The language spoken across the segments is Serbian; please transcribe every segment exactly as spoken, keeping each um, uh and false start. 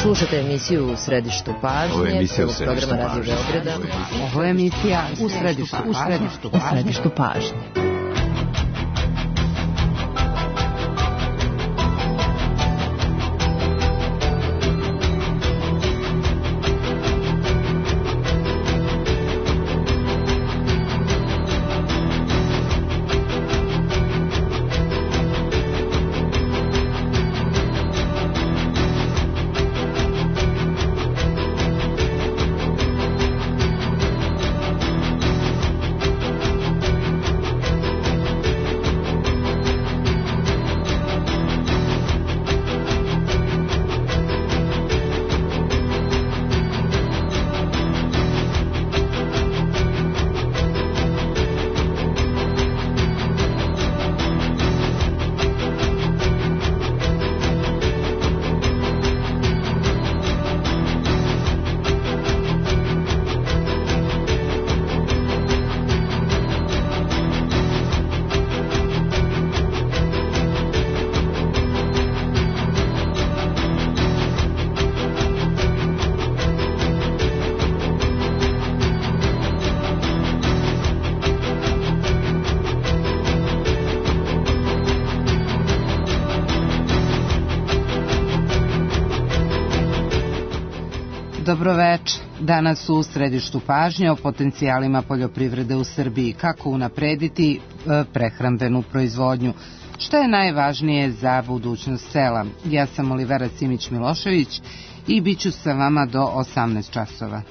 Slušate emisiju U središtu pažnje. Ovo je emisija U središtu pažnje. Ovo je emisija U središtu pažnje. U središtu pažnje. Dobroveče. Danas u središtu pažnje o potencijalima poljoprivrede u Srbiji, kako unaprediti prehrambenu proizvodnju. Što je najvažnije za budućnost sela? Ja sam Olivera Simić-Milošević i bit ću sa vama do osamnaest časova.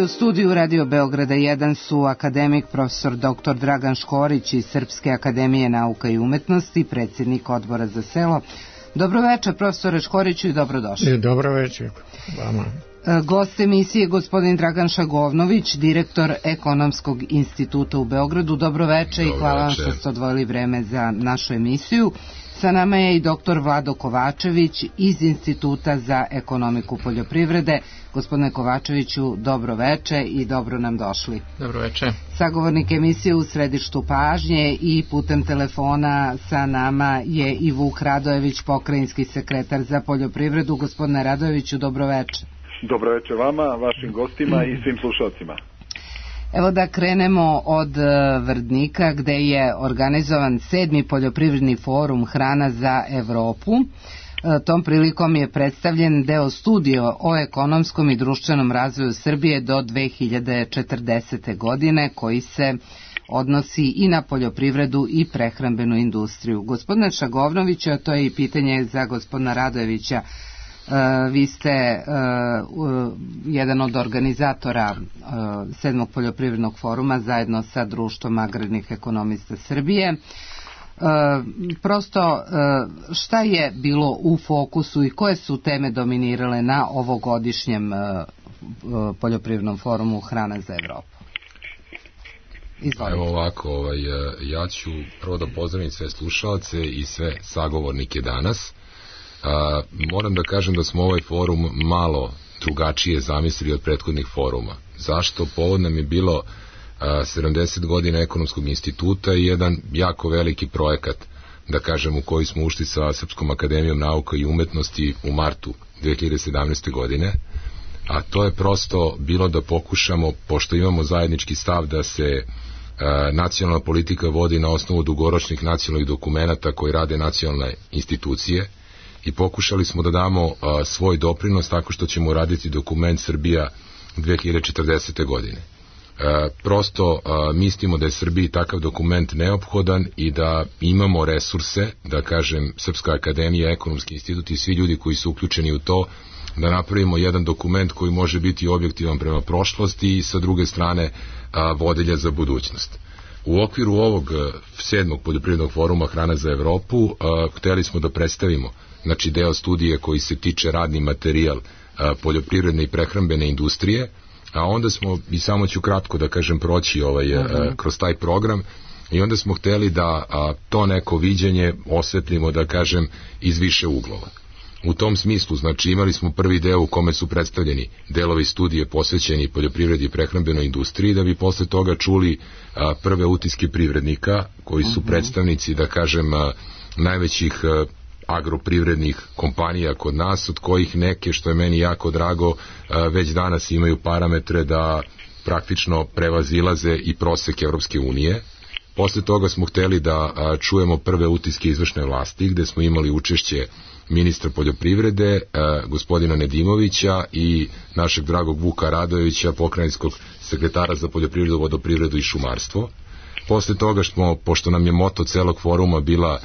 U studiju Radio Beograda jedan su akademik profesor doktor Dragan Škorić iz Srpske akademije nauka i umetnosti, predsjednik odbora za selo. Dobroveče profesore Škoriću i dobrodošli. Dobroveče vama. Gost emisije gospodin Dragan Šagovnović, direktor Ekonomskog instituta u Beogradu. Dobroveče i hvala vam što ste odvojili vreme za našu emisiju. Sa nama je i doktor Vlado Kovačević iz Instituta za ekonomiku poljoprivrede. Gospodine Kovačeviću, dobro veče i dobro nam došli. Dobro veče. Sagovornik emisije U središtu pažnje i putem telefona sa nama je i Vuk Radojević, pokrajinski sekretar za poljoprivredu. Gospodine Radojeviću, dobro veče. Dobro veče vama, vašim gostima i svim slušalcima. Evo da krenemo od Vrdnika, gde je organizovan sedmi poljoprivredni forum Hrana za Evropu. Tom prilikom je predstavljen deo studije o ekonomskom i društvenom razvoju Srbije do dve hiljade četrdesete. godine, koji se odnosi i na poljoprivredu i prehrambenu industriju. Gospodine Šagovnoviću, a to je i pitanje za gospodina Radojevića, vi ste jedan od organizatora sedmog poljoprivrednog foruma zajedno sa Društvom agrarnih ekonomista Srbije. Prosto, šta je bilo u fokusu i koje su teme dominirale na ovogodišnjem poljoprivrednom forumu Hrana za Evropu? Izvolite. Evo ovako, ovaj, ja ću prvo da pozdravim sve slušalce i sve sagovornike danas. A, moram da kažem da smo ovaj forum malo drugačije zamislili od prethodnih foruma. Zašto? Povod nam je bilo a, sedamdeset godina Ekonomskog instituta i jedan jako veliki projekat, da kažem, u koji smo ušli sa Srpskom akademijom nauka i umetnosti u martu dve hiljade sedamnaeste. godine, a to je prosto bilo da pokušamo, pošto imamo zajednički stav da se a, nacionalna politika vodi na osnovu dugoročnih nacionalnih dokumenata koji rade nacionalne institucije, i pokušali smo da damo a, svoj doprinos tako što ćemo raditi dokument Srbija dve hiljade četrdesete. godine. A, prosto a, mislimo da je Srbiji takav dokument neophodan i da imamo resurse, da kažem, Srpska akademija, Ekonomski institut i svi ljudi koji su uključeni u to, da napravimo jedan dokument koji može biti objektivan prema prošlosti i sa druge strane a, vodilja za budućnost. U okviru ovog sedmog poljoprivrednog foruma Hrana za Evropu a, hteli smo da predstavimo znači deo studije koji se tiče radni materijal a, poljoprivredne i prehrambene industrije, a onda smo, i samo ću kratko da kažem proći ovaj, a, kroz taj program, i onda smo hteli da a, to neko viđenje osvetlimo, da kažem, iz više uglova. U tom smislu, znači, imali smo prvi deo u kome su predstavljeni delovi studije posvećeni poljoprivredi i prehrambenoj industriji, da bi posle toga čuli a, prve utiske privrednika, koji su predstavnici, da kažem, a, najvećih a, agroprivrednih kompanija kod nas, od kojih neke, što je meni jako drago, a, već danas imaju parametre da praktično prevazilaze i prosek Evropske unije. Posle toga smo hteli da a, čujemo prve utiske izvršne vlasti, gde smo imali učešće ministra poljoprivrede, a, gospodina Nedimovića, i našeg dragog Vuka Radojevića, pokrajinskog sekretara za poljoprivredu, vodoprivredu i šumarstvo. Posle toga smo, pošto nam je moto celog foruma bila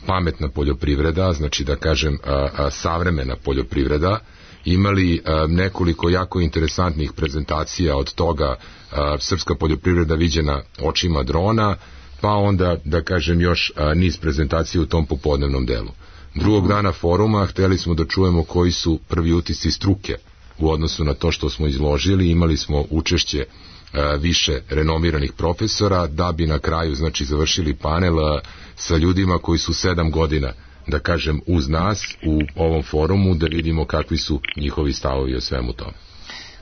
pametna poljoprivreda, znači da kažem a, a, savremena poljoprivreda, imali a, nekoliko jako interesantnih prezentacija, od toga a, srpska poljoprivreda viđena očima drona, pa onda, da kažem, još a, niz prezentacija u tom popodnevnom delu. Drugog dana foruma hteli smo da čujemo koji su prvi utisci struke u odnosu na to što smo izložili. Imali smo učešće a, više renomiranih profesora, da bi na kraju, znači, završili panel a, sa ljudima koji su sedam godina, da kažem, uz nas u ovom forumu, da vidimo kakvi su njihovi stavovi o svemu tome.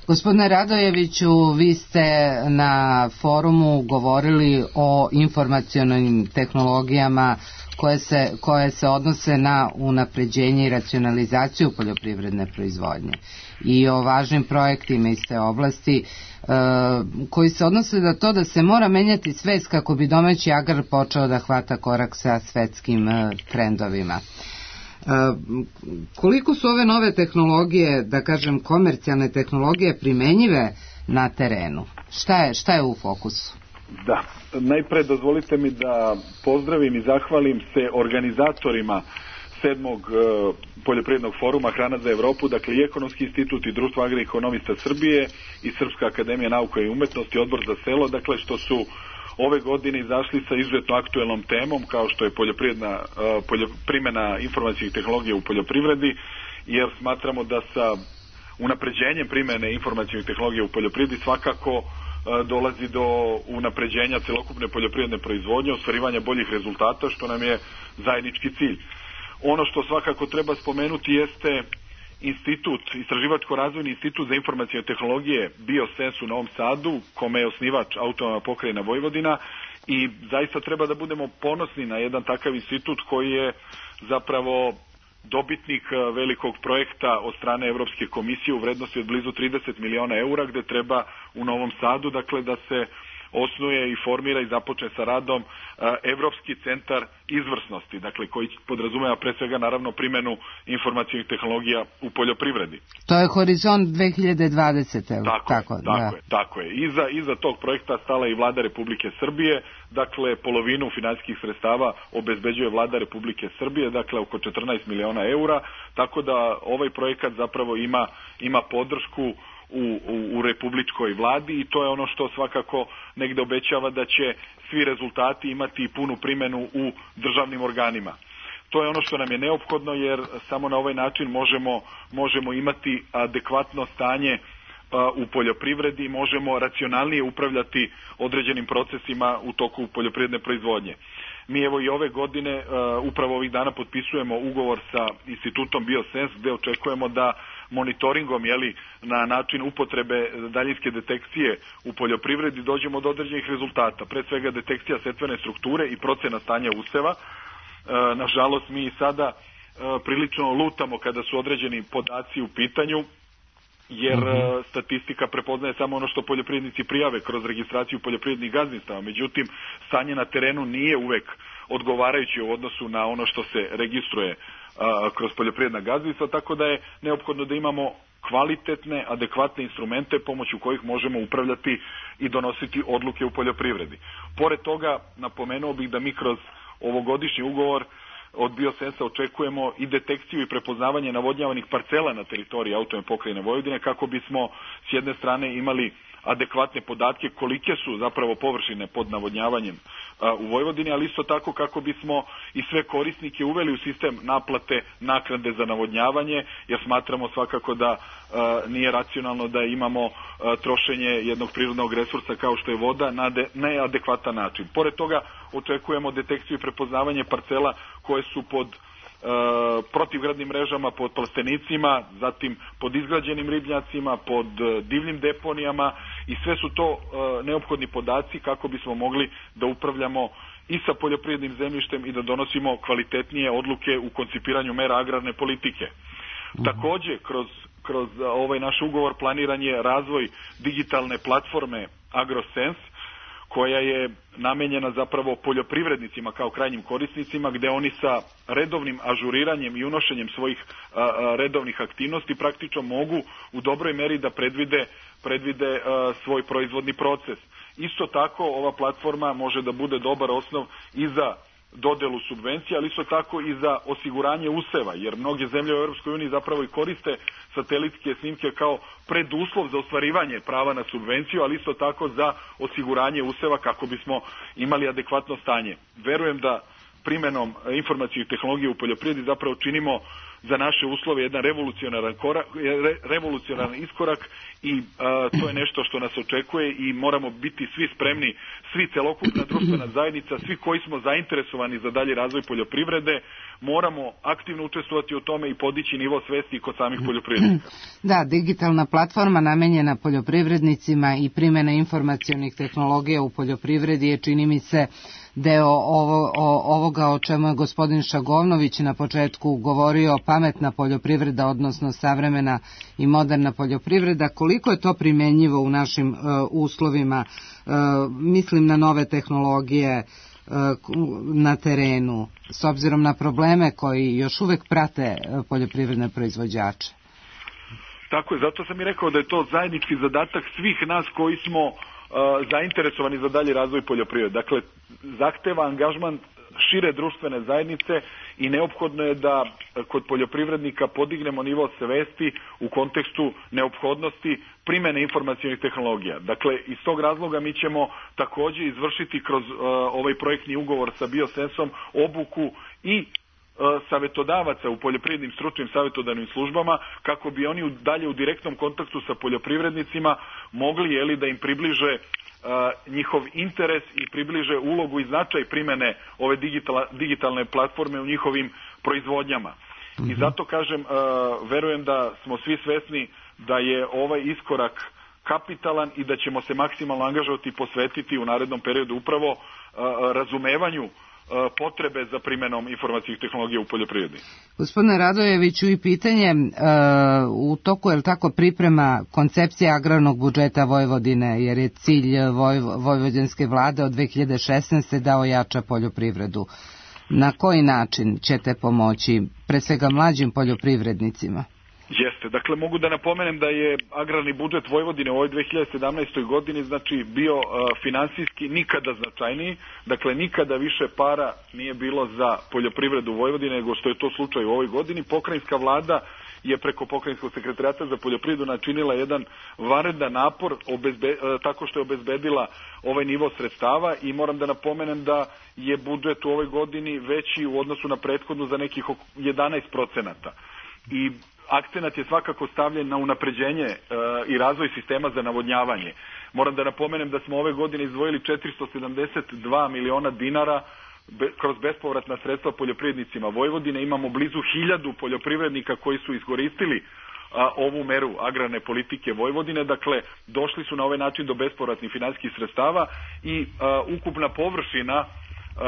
Gospodine Radojeviću, vi ste na forumu govorili o informacionalnim tehnologijama koje se, koje se odnose na unapređenje i racionalizaciju poljoprivredne proizvodnje i o važnim projektima iz te oblasti e, koji se odnose na to da se mora menjati svest kako bi domaći agrar počeo da hvata korak sa svetskim e, trendovima. Koliko su ove nove tehnologije, da kažem komercijalne tehnologije, primenjive na terenu? Šta je, šta je u fokusu? Da, najpre dozvolite mi da pozdravim i zahvalim se organizatorima sedmog uh, poljoprivrednog foruma Hrana za Evropu, dakle i Ekonomski institut i Društvo agroekonomista Srbije i Srpska akademija nauka i umetnosti, Odbor za selo, dakle što su ove godine izašli sa izuzetno aktuelnom temom kao što je poljoprivredna uh, poljo, primjena informacijskih tehnologija u poljoprivredi, jer smatramo da sa unapređenjem primjene informacijskih tehnologija u poljoprivredi svakako uh, dolazi do unapređenja celokupne poljoprivredne proizvodnje, ostvarivanja boljih rezultata, što nam je zajednički cilj. Ono što svakako treba spomenuti jeste institut, Istraživačko-razvojni institut za informacijne tehnologije BioSense u Novom Sadu, kome je osnivač autonomna pokrajina Vojvodina, i zaista treba da budemo ponosni na jedan takav institut koji je zapravo dobitnik velikog projekta od strane Evropske komisije u vrednosti od blizu trideset miliona eura, gde treba u Novom Sadu, dakle, da se osnuje i formira i započne sa radom uh, Evropski centar izvrsnosti, dakle koji podrazumeva pre svega naravno primjenu informacijnih tehnologija u poljoprivredi. To je Horizont dve hiljade dvadesete. Tako, tako, je, tako, da. je, tako je. Iza, iza tog projekta stala i Vlada Republike Srbije, dakle polovinu finansijskih sredstava obezbeđuje Vlada Republike Srbije, dakle oko četrnaest miliona eura, tako da ovaj projekat zapravo ima, ima podršku U, u, u republičkoj vladi, i to je ono što svakako negde obećava da će svi rezultati imati punu primjenu u državnim organima. To je ono što nam je neophodno, jer samo na ovaj način možemo, možemo imati adekvatno stanje a, u poljoprivredi, možemo racionalnije upravljati određenim procesima u toku poljoprivredne proizvodnje. Mi evo i ove godine, uh, upravo ovih dana potpisujemo ugovor sa institutom BioSense, gde očekujemo da monitoringom, jeli, na način upotrebe daljinske detekcije u poljoprivredi dođemo do određenih rezultata. Pre svega detekcija setvene strukture i procena stanja useva. Uh, nažalost, mi sada uh, prilično lutamo kada su određeni podaci u pitanju, jer mm-hmm. statistika prepoznaje samo ono što poljoprivrednici prijave kroz registraciju poljoprivrednih gazdinstava. Međutim, stanje na terenu nije uvek odgovarajuće u odnosu na ono što se registruje a, kroz poljoprivredna gazdinstva, tako da je neophodno da imamo kvalitetne, adekvatne instrumente pomoću kojih možemo upravljati i donositi odluke u poljoprivredi. Pored toga, napomenuo bih da mi kroz ovogodišnji ugovor od Biosensa očekujemo i detekciju i prepoznavanje navodnjavanih parcela na teritoriji autonomne pokrajine Vojvodine, kako bismo s jedne strane imali adekvatne podatke kolike su zapravo površine pod navodnjavanjem a, u Vojvodini, ali isto tako kako bismo i sve korisnike uveli u sistem naplate naknade za navodnjavanje, jer smatramo svakako da a, nije racionalno da imamo a, trošenje jednog prirodnog resursa kao što je voda na de, neadekvatan način. Pored toga očekujemo detekciju i prepoznavanje parcela koje su pod protivgradnim mrežama, pod plastenicima, zatim pod izgrađenim ribnjacima, pod divljim deponijama, i sve su to neophodni podaci kako bismo mogli da upravljamo i sa poljoprivrednim zemljištem i da donosimo kvalitetnije odluke u koncipiranju mera agrarne politike. Takođe, kroz, kroz ovaj naš ugovor planiran je razvoj digitalne platforme AgroSense, koja je namenjena zapravo poljoprivrednicima kao krajnjim korisnicima, gde oni sa redovnim ažuriranjem i unošenjem svojih a, a, redovnih aktivnosti praktično mogu u dobroj meri da predvide, predvide a, svoj proizvodni proces. Isto tako ova platforma može da bude dobar osnov i za dodelu subvencija, ali isto tako i za osiguranje useva, jer mnoge zemlje u Europskoj uniji zapravo i koriste satelitske snimke kao preduslov za ostvarivanje prava na subvenciju, ali isto tako za osiguranje useva kako bismo imali adekvatno stanje. Verujem da primenom informacijnih tehnologija u poljoprivredi zapravo činimo za naše uslove jedan revolucionaran korak, re, revolucionaran iskorak i a, to je nešto što nas očekuje i moramo biti svi spremni, svi celokupna društvena zajednica, svi koji smo zainteresovani za dalji razvoj poljoprivrede, moramo aktivno učestvovati u tome i podići nivo svesti kod samih poljoprivrednika. Da, digitalna platforma namenjena poljoprivrednicima i primjena informacionih tehnologija u poljoprivredi je, čini mi se, deo ovo, o, ovoga o čemu je gospodin Šagovnović na početku govorio, pametna poljoprivreda, odnosno savremena i moderna poljoprivreda. Koliko je to primenjivo u našim uh, uslovima, uh, mislim na nove tehnologije uh, na terenu, s obzirom na probleme koji još uvek prate uh, poljoprivredne proizvođače? Tako je, zato sam i rekao da je to zajednički zadatak svih nas koji smo zainteresovani za dalji razvoj poljoprivrede. Dakle, zahteva angažman šire društvene zajednice i neophodno je da kod poljoprivrednika podignemo nivo svesti u kontekstu neophodnosti primene informacionih tehnologija. Dakle, iz tog razloga mi ćemo takođe izvršiti kroz uh, ovaj projektni ugovor sa Biosensom obuku i savetodavaca u poljoprivrednim stručnim savetodavnim službama, kako bi oni dalje u direktnom kontaktu sa poljoprivrednicima mogli, jeli, da im približe uh, njihov interes i približe ulogu i značaj primene ove digitala, digitalne platforme u njihovim proizvodnjama. Mm-hmm. I zato kažem, uh, verujem da smo svi svesni da je ovaj iskorak kapitalan i da ćemo se maksimalno angažovati i posvetiti u narednom periodu upravo uh, razumevanju potrebe za primenom informacijskih tehnologija u poljoprivredi. Gospodine Radojeviću, i pitanje u toku je li tako priprema koncepcija agrarnog budžeta Vojvodine, jer je cilj voj, vojvođanske vlade od dve hiljade šesnaeste da ojača poljoprivredu. Na koji način ćete pomoći pre svega mlađim poljoprivrednicima? Jeste, dakle mogu da napomenem da je agrarni budžet Vojvodine u ovoj dve hiljade sedamnaestoj godini znači bio uh, finansijski nikada značajniji, dakle nikada više para nije bilo za poljoprivredu Vojvodine nego što je to slučaj u ovoj godini. Pokrajinska vlada je preko Pokrajinskog sekretarijata za poljoprivredu načinila jedan vanredan napor obezbe, uh, tako što je obezbedila ovaj nivo sredstava i moram da napomenem da je budžet u ovoj godini veći u odnosu na prethodnu za nekih jedanaest procenata. I akcenat je svakako stavljen na unapređenje e, i razvoj sistema za navodnjavanje. Moram da napomenem da smo ove godine izdvojili četiristo sedamdeset dva miliona dinara be, kroz bespovratna sredstva poljoprivrednicima Vojvodine. Imamo blizu hiljadu poljoprivrednika koji su iskoristili a, ovu meru agrarne politike Vojvodine. Dakle, došli su na ovaj način do bespovratnih finansijskih sredstava i a, ukupna površina Uh,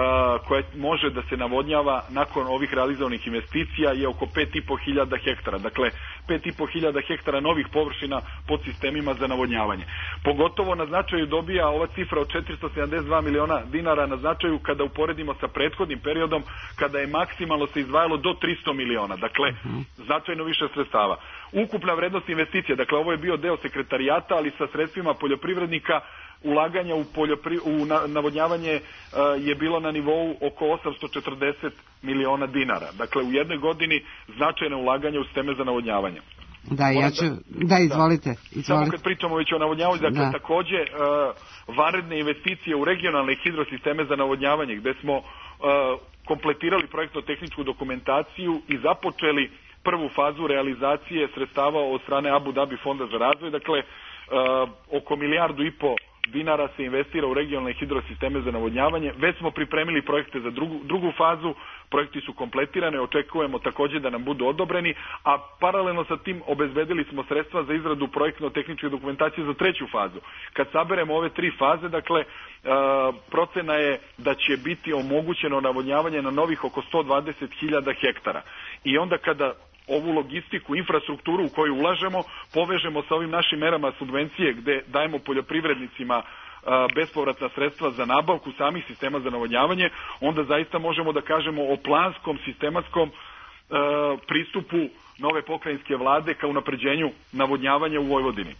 koja može da se navodnjava nakon ovih realizovanih investicija je oko pet i po hiljada hektara. Dakle, pet i po hiljada hektara novih površina pod sistemima za navodnjavanje. Pogotovo na značaju dobija ova cifra od četiristo sedamdeset dva miliona dinara na značaju kada uporedimo sa prethodnim periodom kada je maksimalno se izdvajalo do tristo miliona. Dakle, značajno više sredstava. ukupna vrednost investicija, dakle ovo je bio deo sekretarijata, ali sa sredstvima poljoprivrednika, ulaganja u, poljopri, u navodnjavanje uh, je bilo na nivou oko osamsto četrdeset miliona dinara. Dakle, u jednoj godini značajne ulaganja u sisteme za navodnjavanje. Da, ja ću, da, izvolite, izvolite. Samo kad pričamo već o navodnjavanju, dakle, da. takođe uh, vanredne investicije u regionalne hidrosisteme za navodnjavanje, gde smo uh, kompletirali projektno-tehničku dokumentaciju i započeli prvu fazu realizacije sredstava od strane Abu Dhabi fonda za razvoj, dakle, uh, oko milijardu i po dinara se investira u regionalne hidrosisteme za navodnjavanje. Već smo pripremili projekte za drugu, drugu fazu, projekti su kompletirane, očekujemo takođe da nam budu odobreni, a paralelno sa tim obezbedili smo sredstva za izradu projektno-tehničke dokumentacije za treću fazu. Kad saberemo ove tri faze, dakle, uh, procena je da će biti omogućeno navodnjavanje na novih oko sto dvadeset hiljada hektara. I onda kada ovu logistiku, infrastrukturu u koju ulažemo, povežemo sa ovim našim merama subvencije gde dajemo poljoprivrednicima bespovratna sredstva za nabavku samih sistema za navodnjavanje, onda zaista možemo da kažemo o planskom, sistematskom pristupu nove pokrajinske vlade ka unapređenju navodnjavanja u Vojvodini.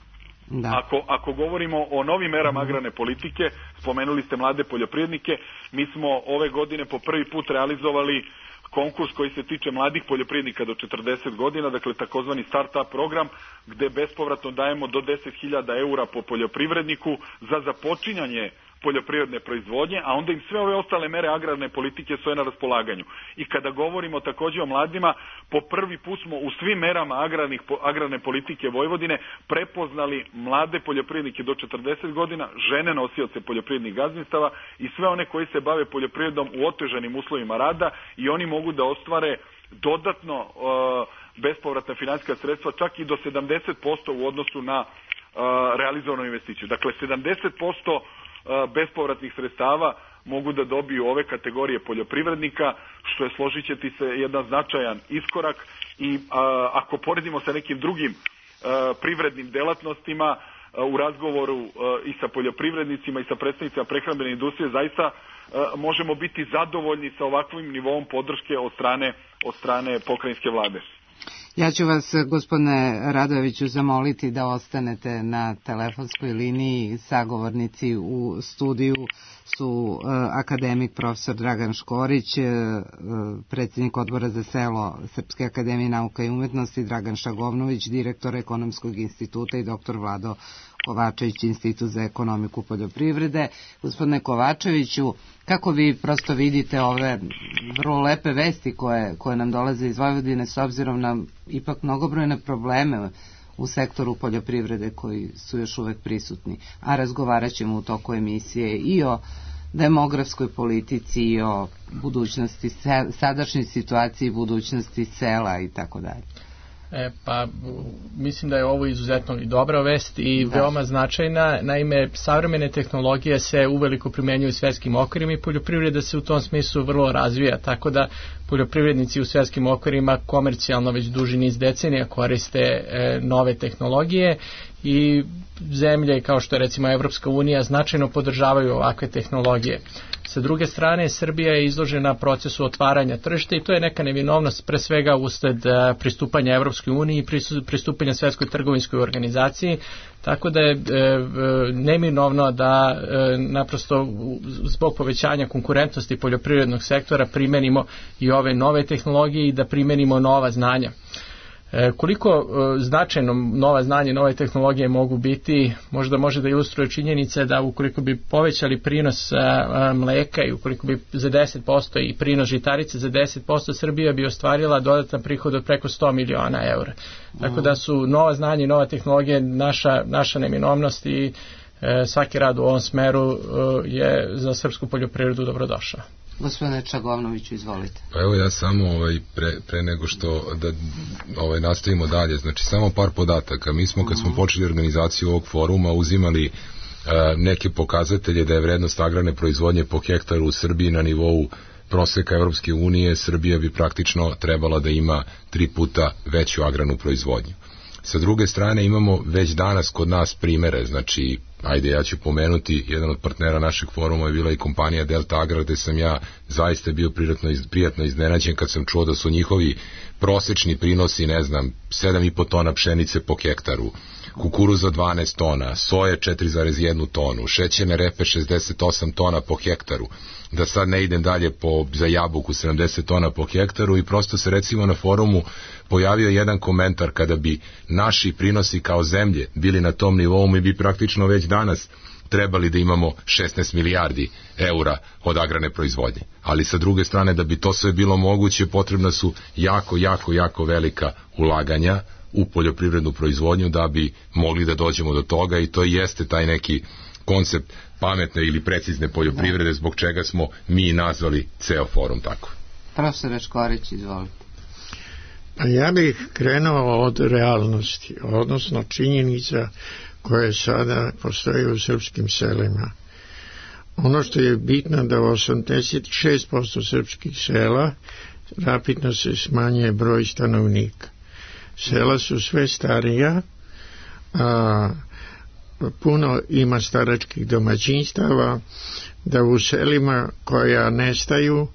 Da. Ako, ako govorimo o novim merama agrarne politike, spomenuli ste mlade poljoprivrednike, mi smo ove godine po prvi put realizovali konkurs koji se tiče mladih poljoprivrednika do četrdeset godina, dakle takozvani start-up program, gde bespovratno dajemo do deset hiljada eura po poljoprivredniku za započinjanje poljoprivredne proizvodnje, a onda im sve ove ostale mere agrarne politike stoje na raspolaganju. I kada govorimo takođe o mladima, po prvi put smo u svim merama agrarnih, agrarne politike Vojvodine prepoznali mlade poljoprivrednike do četrdeset godina, žene nosioce poljoprivrednih gazdinstava i sve one koji se bave poljoprivredom u otežanim uslovima rada i oni mogu da ostvare dodatno uh, bespovratna finansijska sredstva čak i do sedamdeset posto u odnosu na uh, realizovanu investiciju. Dakle, sedamdeset posto bespovratnih sredstava mogu da dobiju ove kategorije poljoprivrednika, što je, složit ćete se, jedan značajan iskorak i a, ako poredimo sa nekim drugim a, privrednim delatnostima a, u razgovoru a, i sa poljoprivrednicima i sa predstavnicima prehrambene industrije, zaista a, možemo biti zadovoljni sa ovakvim nivoom podrške od strane, od strane pokrajinske vlade. Ja ću vas, gospodine Radojeviću, zamoliti da ostanete na telefonskoj liniji. Sagovornici u studiju su uh, akademik profesor Dragan Škorić, uh, predsjednik odbora za selo Srpske akademije nauka i umetnosti, Dragan Šagovnović, direktor Ekonomskog instituta i doktor Vlado Kovačević, Institut za ekonomiku poljoprivrede. Gospodine Kovačeviću, kako vi prosto vidite ove vrlo lepe vesti koje, koje nam dolaze iz Vojvodine s obzirom na ipak mnogobrojne probleme u sektoru poljoprivrede koji su još uvek prisutni, a razgovarat ćemo u toku emisije i o demografskoj politici i o budućnosti, sadašnjoj situaciji budućnosti sela i tako dalje. E, pa mislim da je ovo izuzetno i dobra vest i da. veoma značajna. Naime, savremene tehnologije se uveliko primenjuju u svetskim okvirima i poljoprivreda se u tom smislu vrlo razvija, tako da poljoprivrednici u svetskim okvirima komercijalno već duži niz decenija koriste e, nove tehnologije i zemlje kao što je recimo Evropska unija značajno podržavaju ovakve tehnologije. Sa druge strane, Srbija je izložena procesu otvaranja tržišta i to je neka nevinovnost pre svega usled pristupanja Evropskoj uniji i pristupanja Svetskoj trgovinskoj organizaciji, tako da je e, neminovno da e, naprosto zbog povećanja konkurentnosti poljoprivrednog sektora primenimo i ove nove tehnologije i da primenimo nova znanja. E, koliko e, značajno nova znanja i nove tehnologije mogu biti, možda može da ilustruje činjenice da ukoliko bi povećali prinos a, mleka i ukoliko bi za deset posto i prinos žitarice za deset posto, Srbija bi ostvarila dodatan prihod od preko sto miliona eura. Tako da su nova znanja i nova tehnologija naša, naša neminovnost i e, svaki rad u ovom smeru e, je za srpsku poljoprivredu dobrodošao. Gospodine Čagovnoviću, izvolite. Pa evo ja samo ovaj, pre, pre nego što da ovaj, nastavimo dalje, znači samo par podataka. Mi smo kad smo počeli organizaciju ovog foruma uzimali uh, neke pokazatelje da je vrednost agrarne proizvodnje po hektaru u Srbiji na nivou proseka Evropske unije. Srbija bi praktično trebala da ima tri puta veću agrarnu proizvodnju. Sa druge strane imamo već danas kod nas primere, znači ajde, ja ću pomenuti, jedan od partnera našeg foruma je bila i kompanija Delta Agrar, gde sam ja zaista bio prijatno, prijatno iznenađen kad sam čuo da su njihovi prosečni prinosi, ne znam, sedam i po tona pšenice po hektaru, kukuruza dvanaest tona, soje četiri zarez jedna tonu, šećerne repe šezdeset osam tona po hektaru, da sad ne idem dalje po, za jabuku sedamdeset tona po hektaru, i prosto se recimo na forumu pojavio jedan komentar: kada bi naši prinosi kao zemlje bili na tom nivou, mi bi praktično već danas trebali da imamo šesnaest milijardi eura od agrarne proizvodnje. Ali sa druge strane, da bi to sve bilo moguće, potrebna su jako, jako, jako velika ulaganja u poljoprivrednu proizvodnju da bi mogli da dođemo do toga, i to jeste taj neki koncept pametne ili precizne poljoprivrede, zbog čega smo mi nazvali ceo forum tako. Profesor Škorić, izvolite. Pa ja bih krenuo od realnosti, odnosno činjenica koje sada postoje u srpskim selima. Ono što je bitno da u osamdeset šest posto srpskih sela rapidno se smanjuje broj stanovnika. Sela su sve starija, a puno ima staračkih domaćinstava, da u selima koja nestaju,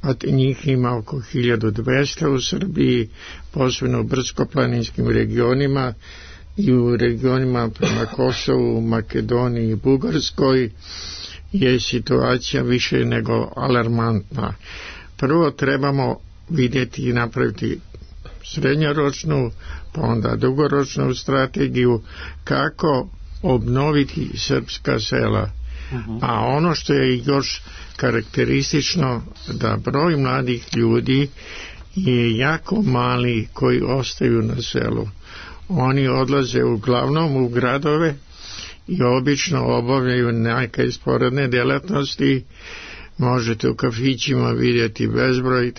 a njih ima oko hiljadu dvesta u Srbiji, posebno u brdsko-planinskim regionima i u regionima prema Kosovu, Makedoniji i Bugarskoj, je situacija više nego alarmantna. Prvo trebamo vidjeti i napraviti srednjoročnu, pa onda dugoročnu strategiju kako obnoviti srpska sela. Uh-huh. A ono što je još karakteristično, da broj mladih ljudi je jako mali koji ostaju na selu. Oni odlaze uglavnom u gradove i obično obavljaju neke sporedne djelatnosti. Možete u kafićima vidjeti bezbroj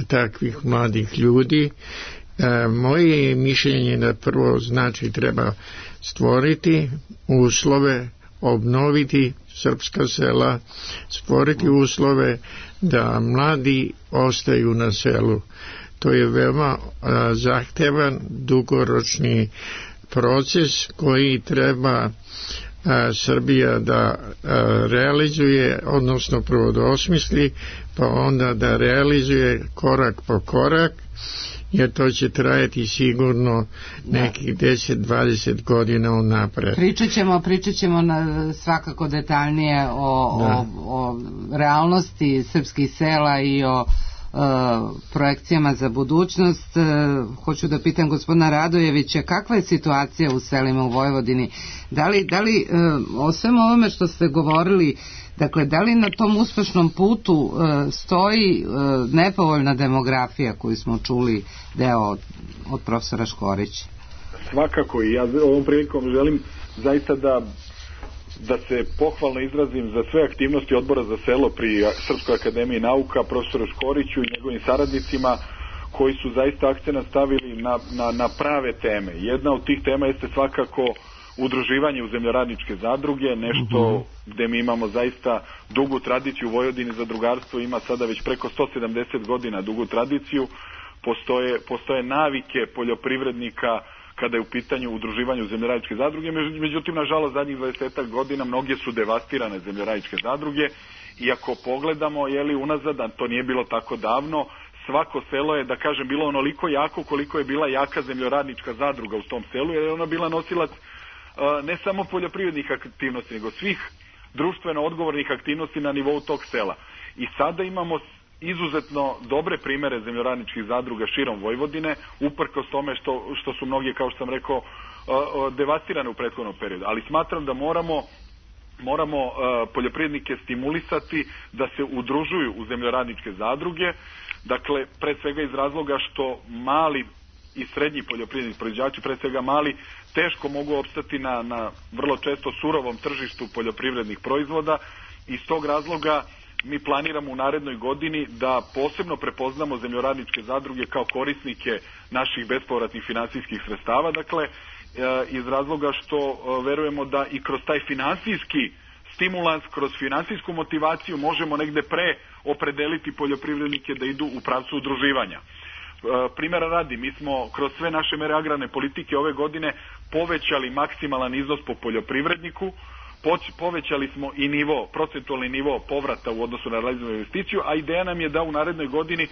takvih mladih ljudi. E, moje mišljenje da prvo znači treba stvoriti uslove, obnoviti srpska sela, stvoriti uslove da mladi ostaju na selu. To je veoma a, zahtevan, dugoročni proces koji treba a, Srbija da a, realizuje, odnosno prvo da osmisli, pa onda da realizuje korak po korak, jer to će trajati sigurno nekih deset do dvadeset godina unapred. Pričat ćemo, pričat ćemo na, svakako detaljnije o, o, o realnosti srpskih sela i o Uh, projekcijama za budućnost. Uh, hoću da pitam gospodina Radojevića, kakva je situacija u selima u Vojvodini? Da li, da li uh, o svemu ovome što ste govorili, dakle, da li na tom uspešnom putu uh, stoji uh, nepovoljna demografija koju smo čuli deo od, od profesora Škorića? Svakako, i ja ovom prilikom želim zaista da da se pohvalno izrazim za sve aktivnosti Odbora za selo pri Srpskoj akademiji nauka, profesoru Škoriću i njegovim saradnicima, koji su zaista akcenat stavili na, na, na prave teme. Jedna od tih tema jeste svakako udruživanje u zemljoradničke zadruge, nešto uh-huh. gde mi imamo zaista dugu tradiciju u Vojvodini. Zadrugarstvo ima sada već preko sto sedamdeset godina dugu tradiciju. Postoje, postoje navike poljoprivrednika kada je u pitanju udruživanje u zemljoradničke zadruge, međutim, nažalost, zadnjih dvadeset godina mnoge su devastirane zemljoradničke zadruge, i ako pogledamo, jeli, unazad, a to nije bilo tako davno, svako selo je, da kažem, bilo onoliko jako koliko je bila jaka zemljoradnička zadruga u tom selu, jer je ona bila nosilac uh, ne samo poljoprivrednih aktivnosti, nego svih društveno odgovornih aktivnosti na nivou tog sela. I sada imamo izuzetno dobre primere zemljoradničkih zadruga širom Vojvodine, uprkos tome što, što su mnogi, kao što sam rekao, uh, uh, devastirane u prethodnom periodu. Ali smatram da moramo moramo uh, poljoprivrednike stimulisati da se udružuju u zemljoradničke zadruge, dakle, pre svega iz razloga što mali i srednji poljoprivredni proizvođači, pre svega mali, teško mogu opstati na, na vrlo često surovom tržištu poljoprivrednih proizvoda. Iz tog razloga mi planiramo u narednoj godini da posebno prepoznamo zemljoradničke zadruge kao korisnike naših bespovratnih finansijskih sredstava, dakle, iz razloga što verujemo da i kroz taj finansijski stimulans, kroz finansijsku motivaciju možemo negde pre opredeliti poljoprivrednike da idu u pravcu udruživanja. Primjera radi, mi smo kroz sve naše mere agrarne politike ove godine povećali maksimalan iznos po poljoprivredniku, povećali smo i nivo, procentualni nivo povrata u odnosu na realizovanu investiciju, a ideja nam je da u narednoj godini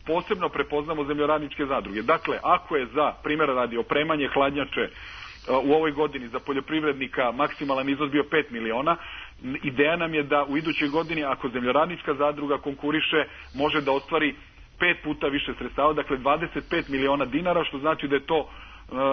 posebno prepoznamo zemljoradničke zadruge. Dakle, ako je za, primjera radi, opremanje hladnjače u ovoj godini za poljoprivrednika maksimalan iznos bio pet miliona, ideja nam je da u idućoj godini, ako zemljoradnička zadruga konkuriše, može da ostvari pet puta više sredstava, dakle dvadeset pet miliona dinara, što znači da je to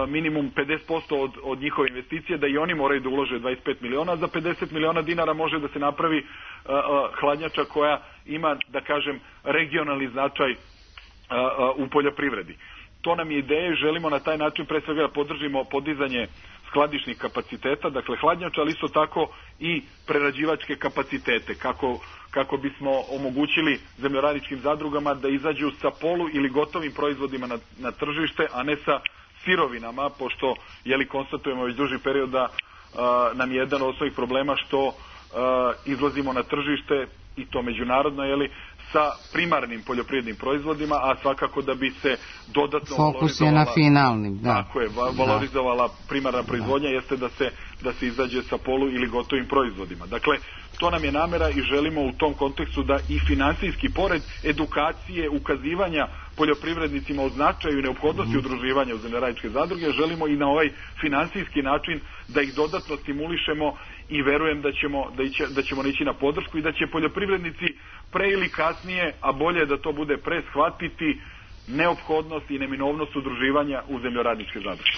minimum pedeset posto od, od njihove investicije, da i oni moraju da ulože dvadeset pet miliona, za pedeset miliona dinara može da se napravi uh, uh, hladnjača koja ima, da kažem, regionalni značaj uh, uh, u poljoprivredi. To nam je ideja i želimo na taj način pre svega da podržimo podizanje skladišnih kapaciteta, dakle hladnjača, ali isto tako i prerađivačke kapacitete, kako, kako bismo omogućili zemljoradničkim zadrugama da izađu sa polu ili gotovim proizvodima na, na tržište, a ne sa sirovinama, pošto jeli konstatujemo već duži period da a, nam je jedan od osnovnih problema što a, izlazimo na tržište, i to međunarodno, jeli, sa primarnim poljoprivrednim proizvodima, a svakako da bi se dodatno fokus je na finalnim, da. Tako je, valorizovala primarna proizvodnja, da. Jeste da se, da se izađe sa polu ili gotovim proizvodima. Dakle, to nam je namera i želimo u tom kontekstu da i finansijski, pored edukacije, ukazivanja poljoprivrednicima o značaju i neophodnosti mm. udruživanja u zemljoradničke zadruge, želimo i na ovaj finansijski način da ih dodatno stimulišemo i verujem da ćemo, da, iće, da ćemo ići na podršku i da će poljoprivrednici pre ili kasnije, a bolje da to bude pre, shvatiti neophodnost i neminovnost udruživanja u zemljoradničke zadruge.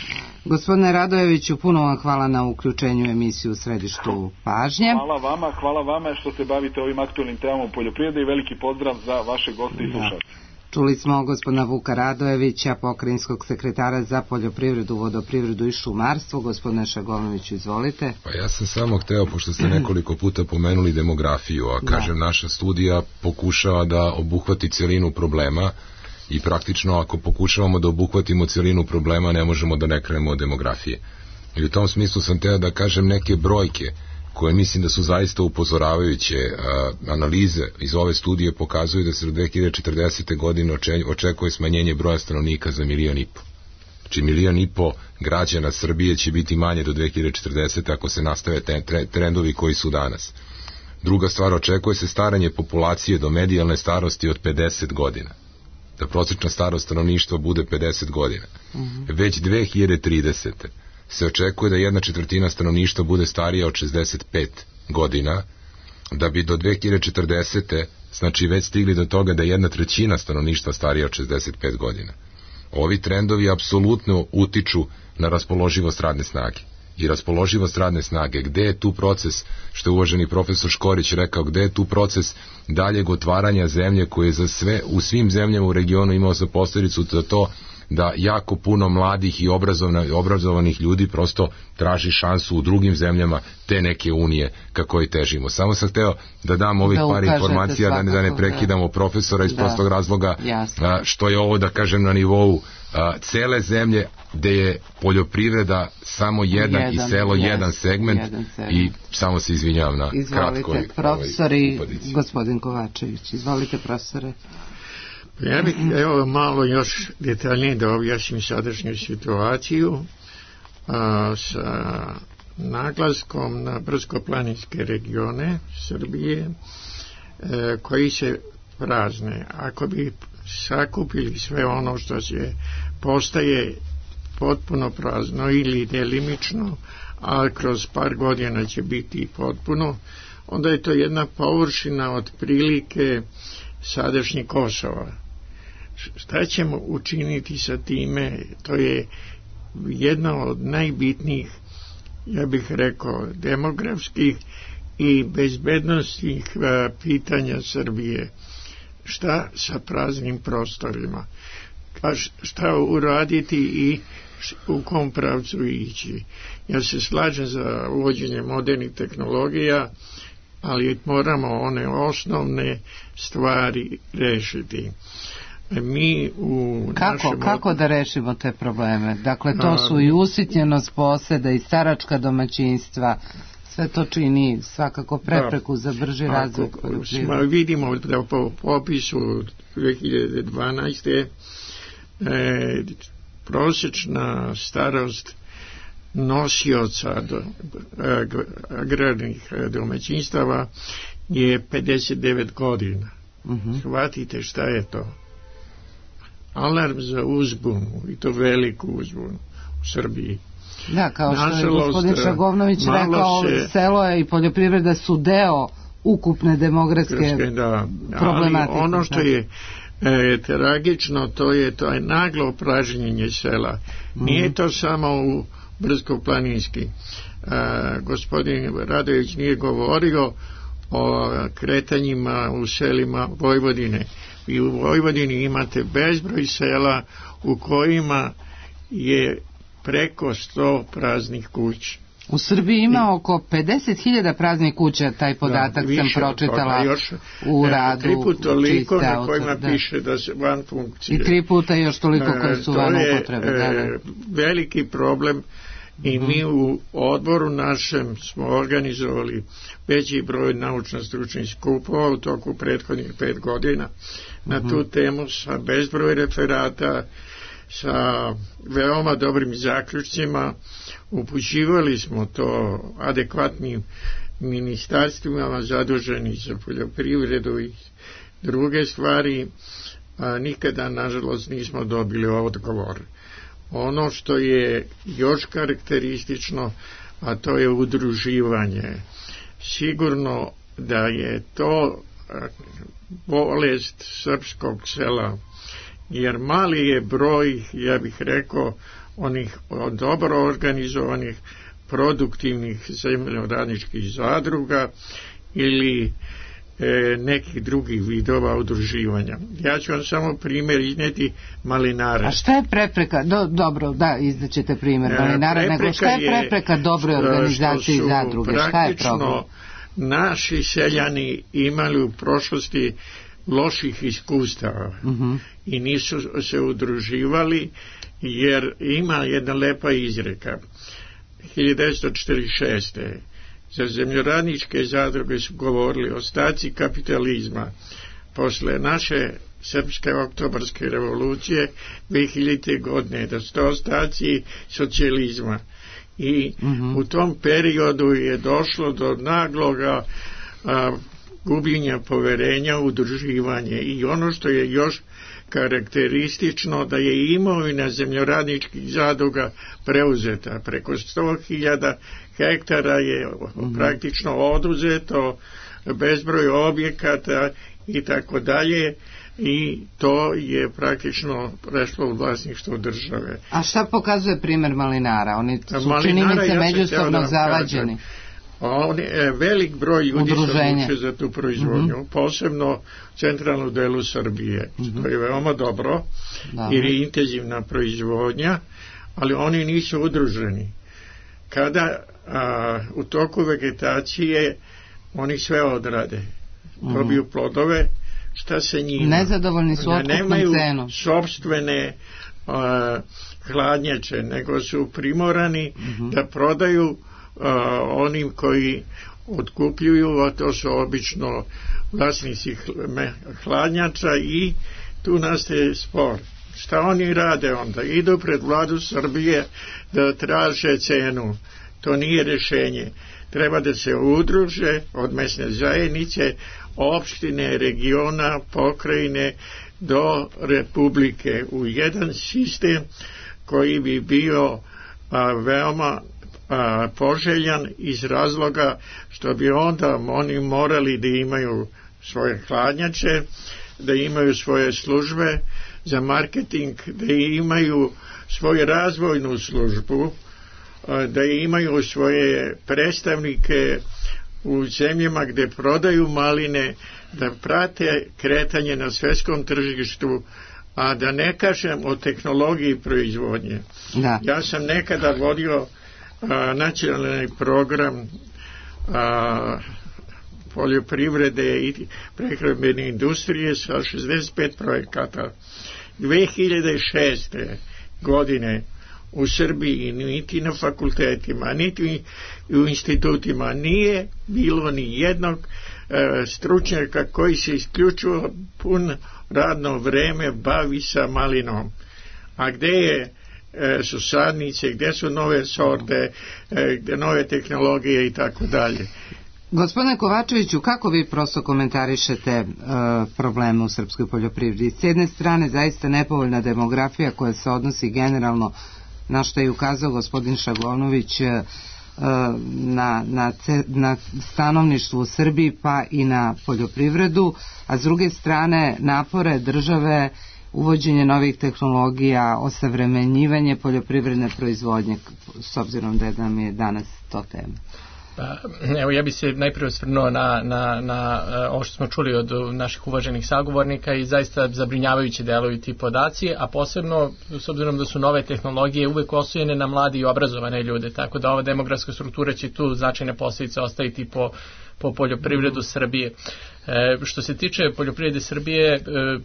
Gospodine Radojeviću, puno vam hvala na uključenju emisiju u središtu pažnje. Hvala vama, hvala vama što se bavite ovim aktualnim temama poljoprivrede i veliki pozdrav za vaše goste i slušalce. Čuli smo gospodina Vuka Radojevića, pokrajinskog sekretara za poljoprivredu, vodoprivredu i šumarstvo. Gospodine Šagovnoviću, izvolite. Pa ja sam samo hteo, pošto ste nekoliko puta pomenuli demografiju, a kažem, da. Naša studija pokušava da obuhvati celinu problema i praktično ako pokušavamo da obuhvatimo celinu problema ne možemo da ne krenemo od demografije. I u tom smislu sam hteo da kažem neke brojke koje mislim da su zaista upozoravajuće. Analize iz ove studije pokazuju da se do dve hiljade četrdesete. godine očekuje smanjenje broja stanovnika za milion i po. Znači milion i po građana Srbije će biti manje do dve hiljade četrdesete. ako se nastave trendovi koji su danas. Druga stvar, očekuje se staranje populacije do medijalne starosti od pedeset godina. Da prosječna starost stanovništva bude pedeset godina. Mm-hmm. Već dve hiljade tridesete. se očekuje da jedna četvrtina stanovništva bude starija od šezdeset pet godina, da bi do dve hiljade četrdesete. znači već stigli do toga da jedna trećina stanovništva starija od šezdeset pet godina. Ovi trendovi apsolutno utiču na raspoloživost radne snage. I raspoloživost radne snage, gde je tu proces, što je uvaženi profesor Škorić rekao, gde je tu proces daljeg otvaranja zemlje koje je za sve, u svim zemljama u regionu imao za posljedicu za to da jako puno mladih i obrazovanih ljudi prosto traži šansu u drugim zemljama te neke unije kako i težimo. Samo sam hteo da dam ovih da par informacija, da ne, da ne prekidamo profesora iz da, prostog razloga, a, što je ovo, da kažem, na nivou a, cele zemlje, gde je poljoprivreda samo jedan, jedan i selo yes, jedan segment, jedan segment i samo se izvinjavam na kratko. Izvolite, profesori, ovaj, gospodin Kovačević, izvolite profesore. Ja bih evo malo još detaljnije da objasnim sadašnju situaciju a, sa naglaskom na brdsko-planinske regione Srbije e, koji se prazne. Ako bi sakupili sve ono što se postaje potpuno prazno ili delimično, a kroz par godina će biti potpuno, onda je to jedna površina otprilike sadašnjih Kosova. Šta ćemo učiniti sa time? To je jedna od najbitnijih, ja bih rekao, demografskih i bezbednostnih pitanja Srbije. Šta sa praznim prostorima? Šta uraditi i u kom pravcu ići? Ja se slažem za uvođenje modernih tehnologija, ali moramo one osnovne stvari rešiti. Mi u kako, našem... kako da rešimo te probleme? Dakle, to su i usitnjenost poseda i staračka domaćinstva, Sve to čini svakako prepreku da, za brži razvoj poljoprivrede. Vidimo da po popisu dve hiljade dvanaeste. E, prosječna starost nosioca do, agrarnih domaćinstava je pedeset devet godina. Uh-huh. Shvatite šta je to. Alarm za uzbunu, i to veliku uzbunu u Srbiji. Da, kao što je gospodin Šagovnović rekao, se, selo je i poljoprivreda su deo ukupne demografske da, problematike. Ali ono što je e, tragično, to je to je naglo pražnjenje sela. Mm. Nije to samo u brdsko-planinski. E, gospodin Radović nije govorio o kretanjima u selima Vojvodine. I u Vojvodini imate bezbroj sela u kojima je preko sto praznih kuća. U Srbiji ima oko pedeset hiljada praznih kuća, taj podatak da, sam pročitala još, u radu. Tri puta toliko na kojima da. piše da se van funkcije. I tri puta još toliko koji su van upotrebe. To je da, da. veliki problem i mm-hmm. mi u odboru našem smo organizovali veći broj naučno-stručnih skupova u toku prethodnih pet godina na mm-hmm. tu temu sa bezbroj referata, sa veoma dobrim zaključcima. Upućivali smo to adekvatnim ministarstvima zaduženi za poljoprivredu i druge stvari, a nikada nažalost nismo dobili odgovor. Ono što je još karakteristično, a to je udruživanje. Sigurno da je to bolest srpskog sela, jer mali je broj, ja bih rekao, onih dobro organizovanih, produktivnih zemljoradničkih zadruga ili e, nekih drugih vidova udruživanja. Ja ću vam samo primjer izneti malinare. A šta je prepreka? Do, dobro, da, izdaćete primjer malinara, nego šta je prepreka dobre organizacije i zadruge? Šta je problem? Naši seljani imali u prošlosti loših iskustava uh-huh. i nisu se udruživali, jer ima jedna lepa izreka. hiljadu devetsto četrdeset šeste. za zemljoradničke zadruge su govorili ostaci kapitalizma posle naše srpske oktobarske revolucije dve hiljadite. godine, da su to ostaci socijalizma. I uh-huh. u tom periodu je došlo do nagloga a, gubljenja poverenja u udruživanje. I ono što je još karakteristično, da je imovina zemljoradničkih zadruga preuzeta. Preko sto hiljada hektara je mm-hmm. praktično oduzeto, bezbroj objekata i tako dalje, i to je praktično prešlo u vlasništvo države. A šta pokazuje primjer malinara? Oni su činjenice međusobno da zavađeni. On je velik broj ljudi se odlučuje za tu proizvodnju, mm-hmm. posebno u centralnom delu Srbije, mm-hmm. što je veoma dobro, da. Jer je intenzivna proizvodnja, ali oni nisu udruženi. Kada a, u toku vegetacije oni sve odrade, mm-hmm. dobiju plodove, šta se njima? Nezadovoljni su otkupnom cenom. Nemaju sopstvene a, hladnjače, nego su primorani mm-hmm. da prodaju Uh, onim koji otkupljuju, a to su obično vlasnici hladnjača, i tu nastaje spor. Šta oni rade onda? Idu pred vladu Srbije da traže cenu. To nije rješenje. Treba da se udruže od mesne zajednice, opštine, regiona, pokrajine do republike u jedan sistem koji bi bio a, veoma A, poželjan iz razloga što bi onda oni morali da imaju svoje hladnjače, da imaju svoje službe za marketing, da imaju svoju razvojnu službu, a, da imaju svoje predstavnike u zemljama gde prodaju maline, da prate kretanje na svetskom tržištu, a da ne kažem o tehnologiji proizvodnje. Da. Ja sam nekada vodio A, nacionalni program a, poljoprivrede i prehrambene industrije sa šezdeset pet projekata. dve hiljade šeste. godine u Srbiji, niti na fakultetima, niti u institutima nije bilo ni jednog e, stručnjaka koji se isključivo pun radno vreme bavi sa malinom. A gde je e, su sadnice, gde su nove sorte, e, gde nove tehnologije i tako dalje. Gospodine Kovačeviću, kako vi prosto komentarišete e, probleme u srpskoj poljoprivredi? S jedne strane, zaista nepovoljna demografija koja se odnosi generalno, na što je ukazao gospodin Šagonović, e, na, na, na stanovništvo u Srbiji pa i na poljoprivredu, a s druge strane napore države, uvođenje novih tehnologija, osavremenjivanje poljoprivredne proizvodnje, s obzirom da nam je danas to tema. Pa, evo, ja bih se najprije osvrnuo na, na, na ovo što smo čuli od naših uvaženih sagovornika i zaista zabrinjavajući deluju ti podaci, a posebno s obzirom da su nove tehnologije uvek oslonjene na mladi i obrazovane ljude, tako da ova demografska struktura će tu značajne posljedice ostaviti po, po poljoprivredu Srbije. E, što se tiče poljoprivrede Srbije, e,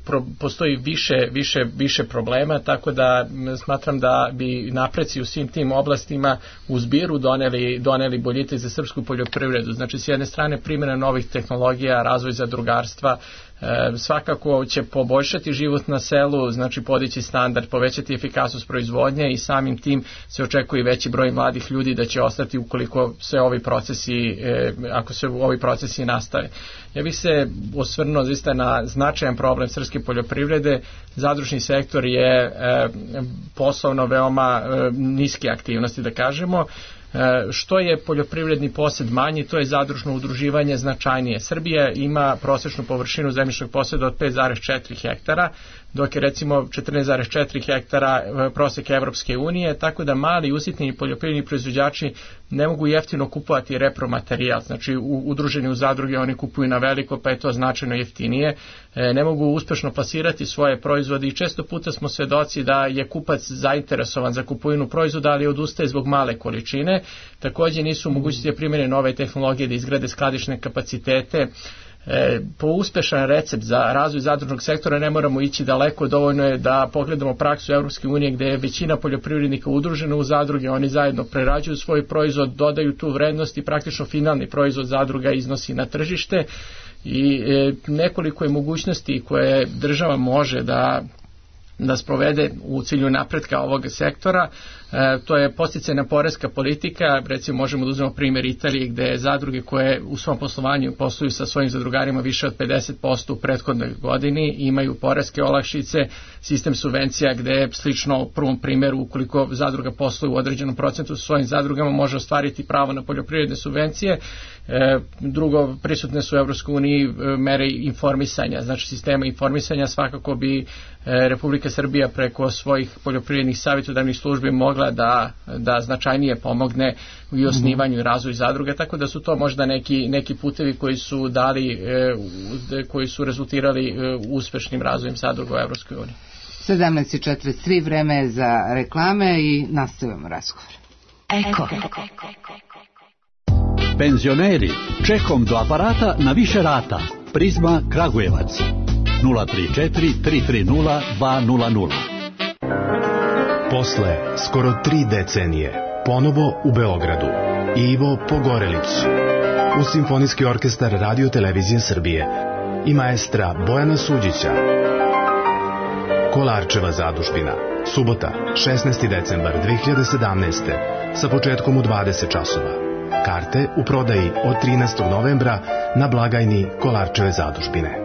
pro, postoji više, više, više problema, tako da smatram da bi napreci u svim tim oblastima u zbiru doneli, doneli boljitak za srpsku poljoprivredu. Znači, s jedne strane primjena novih tehnologija, razvoj zadrugarstva, e, svakako će poboljšati život na selu, znači podići standard, povećati efikasnost proizvodnje i samim tim se očekuje veći broj mladih ljudi da će ostati ukoliko se ovi procesi, e, ako se ovi procesi nastave. Ja bih se osvrnuo zaista na značajan problem srpske poljoprivrede. Zadružni sektor je e, poslovno veoma e, niske aktivnosti, da kažemo. E, što je poljoprivredni posed manji, to je zadružno udruživanje značajnije. Srbija ima prosječnu površinu zemljišnog poseda od pet zarez četiri hektara, dok je recimo četrnaest zarez četiri hektara prosjek Evropske unije, tako da mali usitnjeni poljoprivredni proizvođači ne mogu jeftino kupovati repromaterijal, znači u, udruženi u zadruge oni kupuju na veliko, pa je to značajno jeftinije, e, ne mogu uspešno plasirati svoje proizvode i često puta smo svedoci da je kupac zainteresovan za kupovinu proizvoda, ali odustaje zbog male količine. Također nisu u mogućnosti da primjene nove tehnologije, da izgrade skladišne kapacitete. E, po uspešan recept za razvoj zadružnog sektora ne moramo ići daleko, dovoljno je da pogledamo praksu Evropske unije gdje je većina poljoprivrednika udružena u zadruge, oni zajedno prerađuju svoj proizvod, dodaju tu vrednost i praktično finalni proizvod zadruga iznosi na tržište i e, nekoliko je mogućnosti koje država može da da sprovede u cilju napretka ovog sektora. E, to je podsticajna poreska politika, recimo možemo da uzmemo primjer Italije gdje zadruge koje u svom poslovanju posluju sa svojim zadrugarima više od pedeset posto u prethodnoj godini imaju poreske olakšice, sistem subvencija gdje je slično u prvom primjeru ukoliko zadruga posluje u određenom procentu sa svojim zadrugama može ostvariti pravo na poljoprivredne subvencije. E, drugo, prisutne su u Evropskoj uniji mere informisanja, znači sistema informisanja svakako bi e, Republika Srbija preko svojih poljoprivrednih savjetodavnih službi mogla da, da značajnije pomogne u osnivanju i razvoju zadruge, tako da su to možda neki, neki putevi koji su dali, e, koji su rezultirali e, uspešnim razvojem zadruga u Evropskoj uniji. sedamnaest i četrdeset tri, vreme je za reklame i nastavljamo razgovor. Eko. Penzioneri, čekom do aparata na više rata. Prizma Kragujevac. nula tri četiri tri tri nula dva nula nula. Posle skoro tri decenije, ponovo u Beogradu. Ivo Pogorelić. U Simfonijski orkestar Radio Televizije Srbije i maestra Bojana Suđića. Kolarčeva zadužbina. Subota, šesnaesti decembar dve hiljade sedamnaeste. sa početkom u dvadeset časova. Karte u prodaji od trinaestog novembra na blagajni Kolarčeve zadužbine.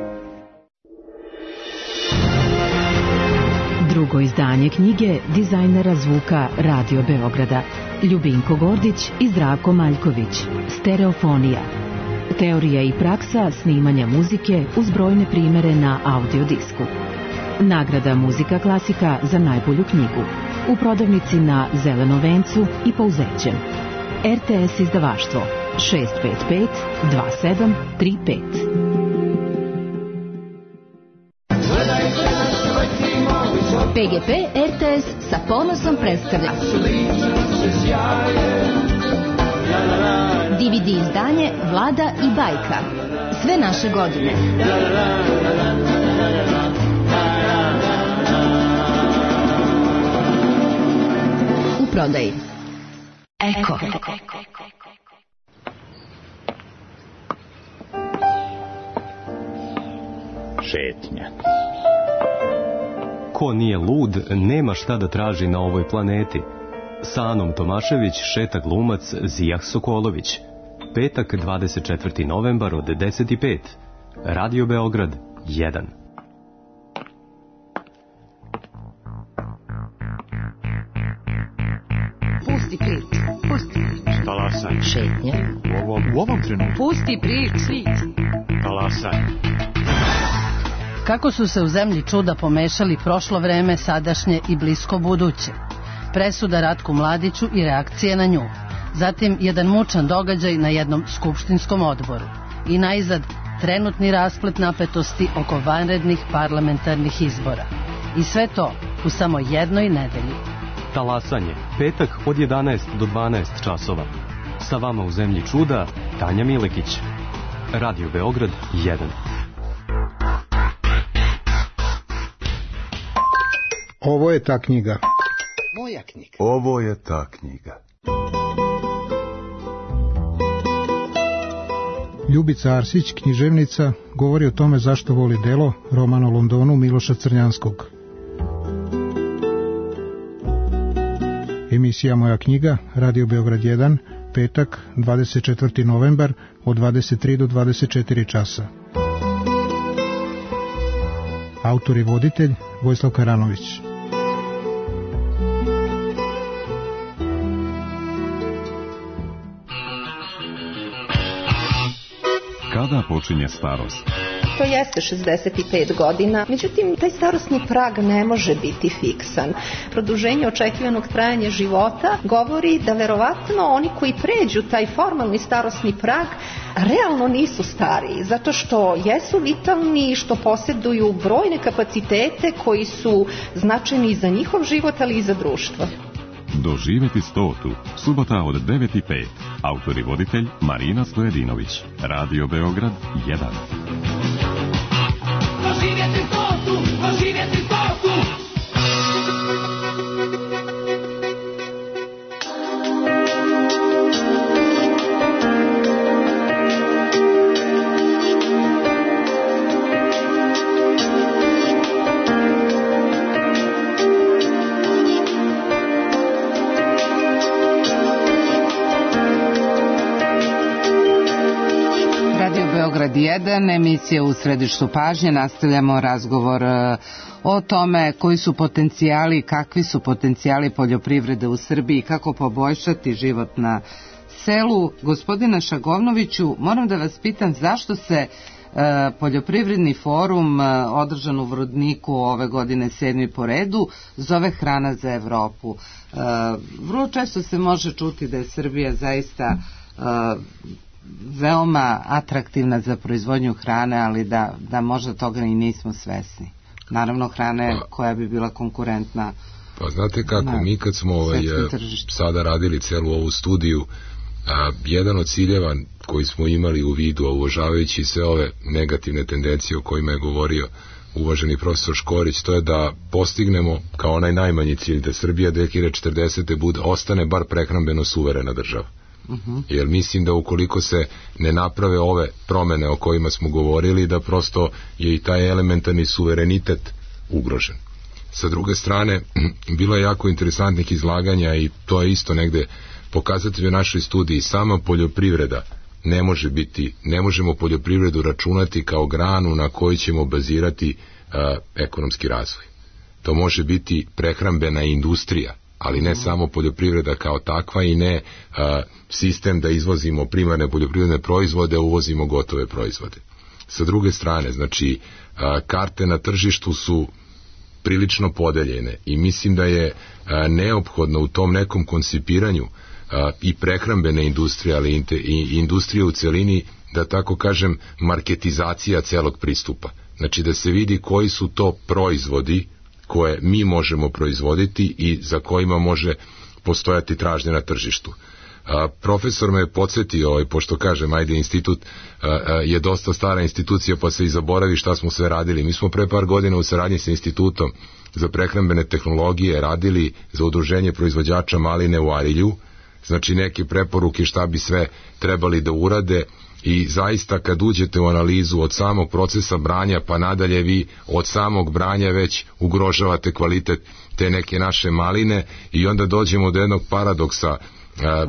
Drugo izdanje knjige dizajnera zvuka Radio Beograda Ljubinko Gordić i Zdravko Maljković. Stereofonija. Teorija i praksa snimanja muzike uz brojne primere na audiodisku. Nagrada Muzika klasika za najbolju knjigu. U prodavnici na Zelenom vencu i Pouzećem. R T S izdavaštvo šest pet pet dva sedam tri pet. P G P R T S sa ponosom predstavlja D V D izdanje Vlada i bajka. Sve naše godine. kupoprodaji. Eko. Šetnja. Ko nije lud, nema šta da traži na ovoj planeti. Sa Anom Tomašević šeta glumac Zijah Sokolović. Petak, dvadeset četvrti novembar od deset i pet. Radio Beograd jedan. Pusti prič. Pusti prič. Talasaj. Šetnja. U ovom, u ovom trenutku. Pusti prič. Talasaj. Kako su se u zemlji čuda pomešali prošlo vreme, sadašnje i blisko buduće. Presuda Ratku Mladiću i reakcije na nju. Zatim jedan mučan događaj na jednom skupštinskom odboru. I najzad trenutni rasplet napetosti oko vanrednih parlamentarnih izbora. I sve to u samo jednoj nedelji. Talasanje. Petak od jedanaest do dvanaest časova. Sa vama u zemlji čuda Tanja Milekić. Radio Beograd jedan. Ovo je ta knjiga. Moja knjiga. Ovo je ta knjiga. Ljubica Arsić, književnica, govori o tome zašto voli delo, roman o Londonu Miloša Crnjanskog. Emisija Moja knjiga, Radio Beograd jedan, petak, dvadeset četvrti novembar, od dvadeset tri do dvadeset četiri časa. Autor i voditelj Vojislav Karanović. Kada počinje starost? To jeste šezdeset pet godina, međutim, taj starosni prag ne može biti fiksan. Produženje očekivanog trajanja života govori da verovatno oni koji pređu taj formalni starosni prag realno nisu stariji, zato što jesu vitalni, što posjeduju brojne kapacitete koji su značajni za njihov život, ali i za društvo. Doživeti stotu, subota od devet i pet. Autor i voditelj Marina Stojedinović. Radio Beograd jedan. Doživjeti stotu, doživjeti stotu. Beograd jedan, emisija U središtu pažnje. Nastavljamo razgovor o tome koji su potencijali, kakvi su potencijali poljoprivrede u Srbiji, kako poboljšati život na selu. Gospodine Šagovnoviću, moram da vas pitam zašto se e, poljoprivredni forum e, održan u Vrodniku ove godine sedmi po redu zove Hrana za Evropu. E, vrlo često se može čuti da je Srbija zaista e, veoma atraktivna za proizvodnju hrane, ali da, da možda toga i nismo svesni. Naravno hrane pa, koja bi bila konkurentna. Pa znate kako, na, mi kad smo ovaj, sada radili celu ovu studiju, a, jedan od ciljeva koji smo imali u vidu, a uvažavajući sve ove negativne tendencije o kojima je govorio uvaženi profesor Škorić, to je da postignemo kao onaj najmanji cilj da Srbija dve hiljade četrdesete bude, ostane bar prehrambeno suverena država. Uh-huh. Jer mislim da ukoliko se ne naprave ove promene o kojima smo govorili, da prosto je i taj elementarni suverenitet ugrožen. Sa druge strane, bilo je jako interesantnih izlaganja i to je isto negde pokazatelj u našoj studiji. Sama poljoprivreda ne može biti, ne možemo poljoprivredu računati kao granu na kojoj ćemo bazirati uh, ekonomski razvoj. To može biti prehrambena industrija, ali ne samo poljoprivreda kao takva i ne a, sistem da izvozimo primarne poljoprivredne proizvode, a uvozimo gotove proizvode. Sa druge strane, znači, a, karte na tržištu su prilično podeljene i mislim da je a, neophodno u tom nekom koncipiranju a, i prehrambene industrije, ali inte, i industrije u celini, da tako kažem, marketizacija celog pristupa. Znači da se vidi koji su to proizvodi koje mi možemo proizvoditi i za kojima može postojati tražnja na tržištu. A, profesor me podsjetio, ovaj, pošto kažem, ajde, institut a, a, je dosta stara institucija, pa se i zaboravi šta smo sve radili. Mi smo pre par godina u saradnji sa institutom za prehrambene tehnologije radili za udruženje proizvođača maline u Arilju, znači neke preporuke šta bi sve trebali da urade, i zaista kad uđete u analizu od samog procesa branja pa nadalje, vi od samog branja već ugrožavate kvalitet te neke naše maline, i onda dođemo do jednog paradoksa.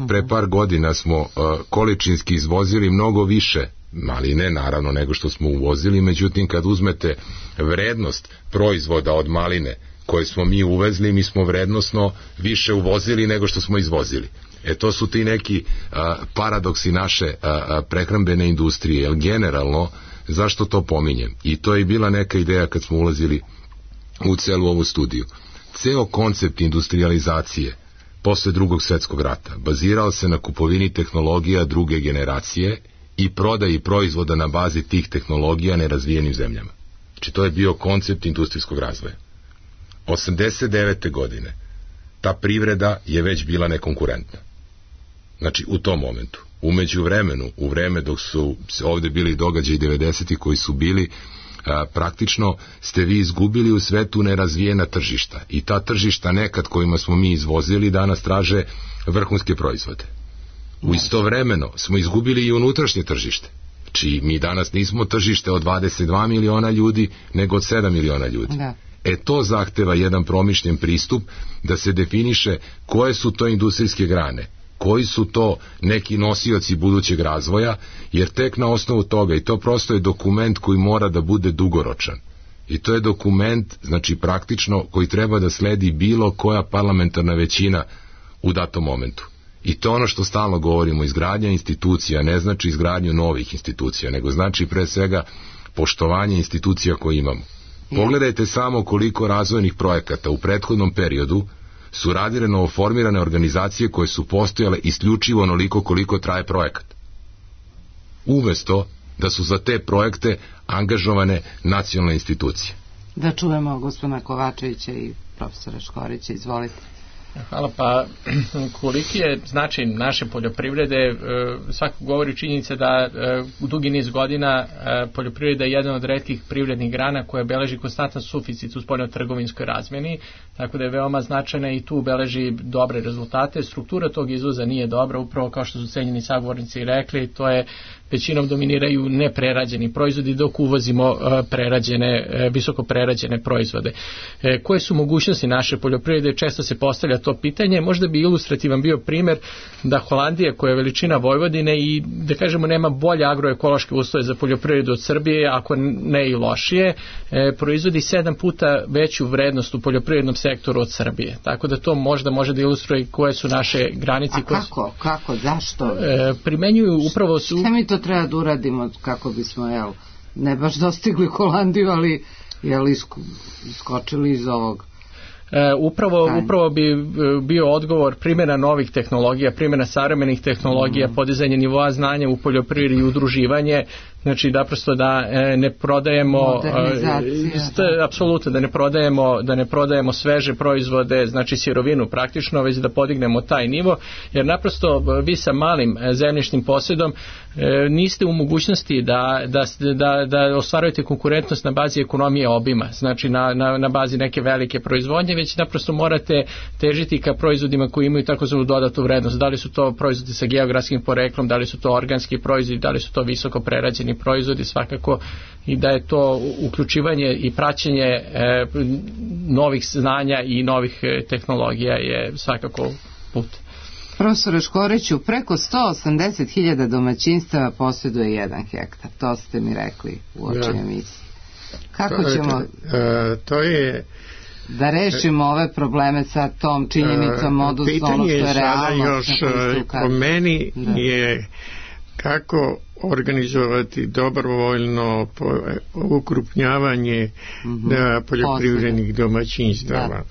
Pre par godina smo količinski izvozili mnogo više maline, naravno, nego što smo uvozili, međutim kad uzmete vrednost proizvoda od maline koje smo mi uvezli, mi smo vrednosno više uvozili nego što smo izvozili. E to su ti neki a, paradoksi naše a, a, prehrambene industrije, jer generalno, zašto to pominjem? I to je bila neka ideja kad smo ulazili u celu ovu studiju. Ceo koncept industrializacije posle drugog svjetskog rata bazirao se na kupovini tehnologija druge generacije i prodaji proizvoda na bazi tih tehnologija nerazvijenim zemljama. Znači to je bio koncept industrijskog razvoja. osamdeset devete godine ta privreda je već bila nekonkurentna. Znači u tom momentu. Umeđu vremenu, u vreme dok su ovde bili događaji devedesetih koji su bili, a, praktično ste vi izgubili u svetu nerazvijena tržišta, i ta tržišta nekad kojima smo mi izvozili danas traže vrhunske proizvode. U istovremeno smo izgubili i unutrašnje tržište. Znači mi danas nismo tržište od dvadeset dva miliona ljudi, nego od sedam miliona ljudi. Da. E to zahteva jedan promišljen pristup da se definiše koje su to industrijske grane, koji su to neki nosioci budućeg razvoja, jer tek na osnovu toga, i to prosto je dokument koji mora da bude dugoročan. I to je dokument, znači praktično, koji treba da sledi bilo koja parlamentarna većina u datom momentu. I to ono što stalno govorimo, izgradnja institucija ne znači izgradnju novih institucija, nego znači pre svega poštovanje institucija koje imamo. Pogledajte samo koliko razvojnih projekata u prethodnom periodu su radile novoformirane organizacije koje su postojale isključivo onoliko koliko traje projekat. Umesto da su za te projekte angažovane nacionalne institucije. Da čujemo gospodina Kovačevića i profesora Škorića, izvolite. Hvala. Pa koliki je značaj naše poljoprivrede, svako govori činjenica da u dugi niz godina poljoprivreda je jedan od retkih privrednih grana koja beleži konstantan suficit u spoljnotrgovinskoj razmeni, tako da je veoma značajna i tu beleži dobre rezultate. Struktura tog izvoza nije dobra, upravo kao što su cenjeni sagovornici rekli, to je većinom dominiraju neprerađeni proizvodi, dok uvozimo prerađene, visoko prerađene proizvode. Koje su mogućnosti naše poljoprivrede? Često se postavlja to pitanje. Možda bi ilustrativan bio primjer da Holandija, koja je veličina Vojvodine i da kažemo nema bolje agroekološke uslove za poljoprivredu od Srbije, ako ne i lošije, proizvodi sedam puta veću vrednost u poljoprivrednom sektoru od Srbije. Tako da to možda može da ilustruje koje su naše granice. A kako? Su, kako? Zašto? Primenjuju upravo su... Šta mi to treba da uradimo kako bismo, jel, ne baš dostigli Holandiju, ali jel, iskočili iz ovog... E, upravo, upravo bi bio odgovor primjena novih tehnologija, primjena savremenih tehnologija, mm. podizanje nivoa znanja u poljoprivredi i udruživanje, znači da prosto da e, ne prodajemo e, apsolutno da ne prodajemo da ne prodajemo sveže proizvode, znači sirovinu praktično, već da podignemo taj nivo, jer naprosto vi sa malim zemljišnim posjedom e, niste u mogućnosti da, da, da, da ostvarujete konkurentnost na bazi ekonomije obima, znači na, na, na bazi neke velike proizvodnje, već naprosto morate težiti ka proizvodima koji imaju takozvanu dodatu vrednost. Da li su to proizvodi sa geografskim poreklom, da li su to organski proizvodi, da li su to visoko prerađeni proizvodi, svakako, i da je to uključivanje i praćenje e, novih znanja i novih e, tehnologija je svakako put. Profesore Škoriću, preko sto osamdeset hiljada domaćinstava posjeduje jedan hektar, to ste mi rekli u oči emisiji. Kako ćemo e, to je da rešimo ove probleme sa tom činjenicom, odnosno ono što je realno? Još po meni da. je kako organizovati dobrovoljno ukrupnjavanje mm-hmm. poljoprivrednih domaćinstava. Da.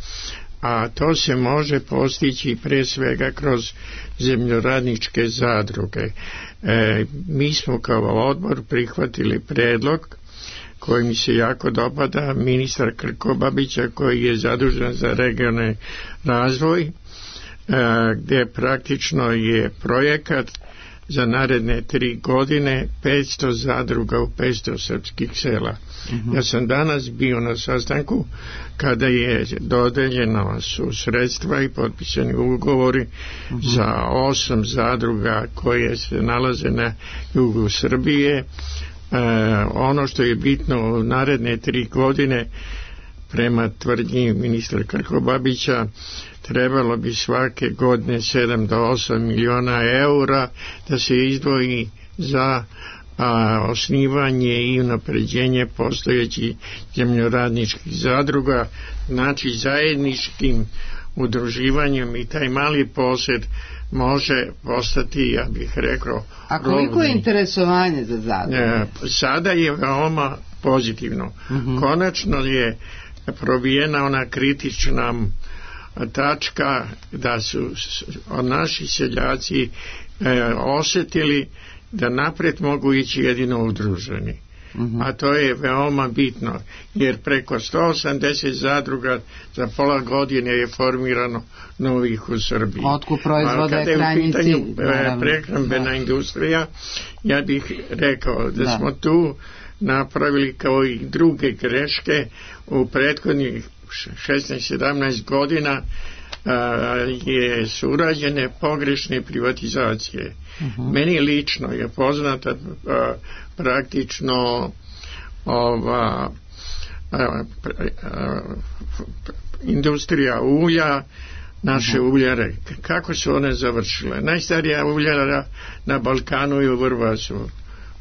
A to se može postići pre svega kroz zemljoradničke zadruge. E, mi smo kao odbor prihvatili predlog koji mi se jako dopada, ministar Krkobabića koji je zadužen za regionalni razvoj, gdje praktično je projekat za naredne tri godine petsto zadruga u petsto srpskih sela. Uh-huh. Ja sam danas bio na sastanku kada je dodeljeno su sredstva i potpisani ugovori uh-huh. za osam zadruga koje se nalaze na jugu Srbije. E, ono što je bitno u naredne tri godine prema tvrdnji ministra Krkobabića trebalo bi svake godine sedam do osam miliona eura da se izdvoji za a, osnivanje i unapređenje postojećih zemljoradničkih zadruga, znači zajedničkim udruživanjem i taj mali posjed može postati, ja bih rekao, a koliko je interesovanje za zadruge? E, sada je veoma pozitivno. Uh-huh. Konačno je probijena ona kritična tačka da su naši seljaci e, osjetili da napred mogu ići jedino udruženi. Uh-huh. A to je veoma bitno, jer preko sto osamdeset zadruga za pola godine je formirano novih u Srbiji. Otkup proizvoda je krajnji cilj. Kada je u pitanju prehrambena da. industrija, ja bih rekao da, da smo tu napravili kao i druge greške u prethodnih šesnaest sedamnaest godina. A, je su urađene pogrešne privatizacije. Uh-huh. Meni lično je poznata a, praktično ova a, a, a, industrija ulja, naše uh-huh. uljare, kako su one završile. Najstarija uljara na Balkanu je u Vrbasu.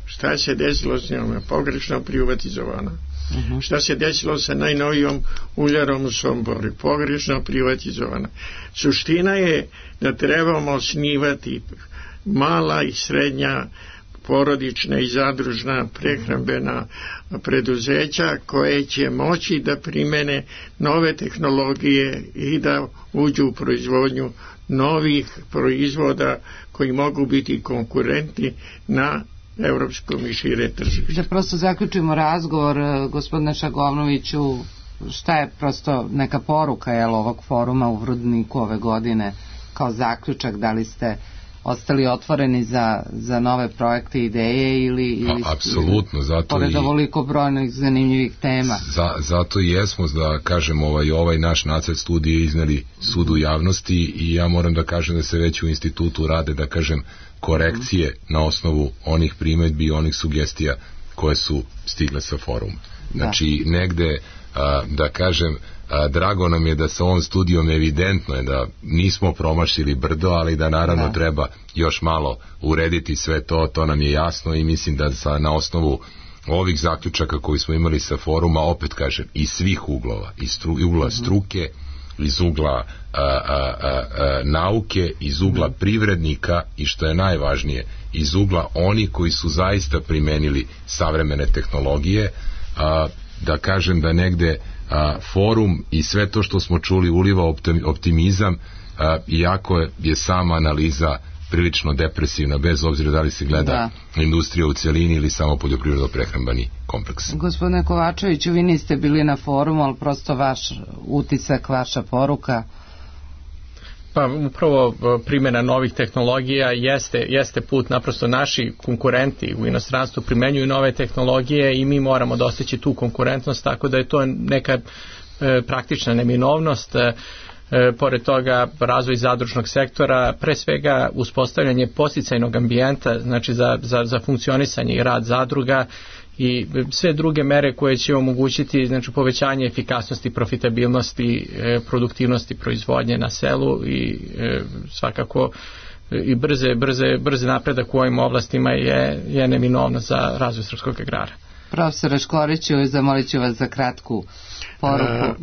Šta se desilo s njom? Pogrešno privatizovana. Uh-huh. Šta se desilo sa najnovijom uljarom u Somboru? Pogrešno privatizovana. Suština je da trebamo osnivati mala i srednja porodična i zadružna prehrambena preduzeća koje će moći da primene nove tehnologije i da uđu u proizvodnju novih proizvoda koji mogu biti konkurentni na evropskom i šire tržište. Da prosto zaključimo razgovor, gospodine Šagovnoviću, šta je prosto neka poruka jel, ovog foruma u Vrudniku ove godine kao zaključak, da li ste ostali otvoreni za, za nove projekte i ideje ili, ili A, apsolutno, zato pored ovoliko brojnih zanimljivih tema? Za, zato i jesmo da kažem ovaj, ovaj naš nacrt studije izneli sudu javnosti i ja moram da kažem da se već u institutu rade, da kažem, korekcije mm. na osnovu onih primedbi i onih sugestija koje su stigle sa foruma. Znači, da. negde, a, da kažem, a, drago nam je da sa ovom studijom evidentno je da nismo promašili brdo, ali da naravno da. treba još malo urediti sve to, to nam je jasno i mislim da sa, na osnovu ovih zaključaka koji smo imali sa foruma, opet kažem, iz svih uglova, iz stru, ugla mm. struke, iz ugla a, a, a, a, nauke, iz ugla mm. privrednika i što je najvažnije, iz ugla oni koji su zaista primenili savremene tehnologije, a, da kažem da negde a, forum i sve to što smo čuli uliva optimizam, a, iako je, je sama analiza prilično depresivna, bez obzira da li se gleda da. industrija u celini ili samo poljoprivredno-prehrambeni kompleks. Gospodine Kovačeviću, vi niste bili na forumu, ali prosto vaš utisak, vaša poruka? Pa upravo primjena novih tehnologija jeste, jeste put, naprosto naši konkurenti u inostranstvu primenjuju nove tehnologije i mi moramo dostići tu konkurentnost, tako da je to neka e, praktična neminovnost. E, E, pored toga razvoj zadružnog sektora, pre svega uspostavljanje podsticajnog ambijenta, znači za, za, za funkcionisanje i rad zadruga i sve druge mere koje će omogućiti znači, povećanje efikasnosti, profitabilnosti, e, produktivnosti proizvodnje na selu i e, svakako i brze, brze, brze napredak u ovim oblastima je, je neminovno za razvoj srpskog agrara. Profesore Škoriću, zamolit ću vas za kratku poruku. A,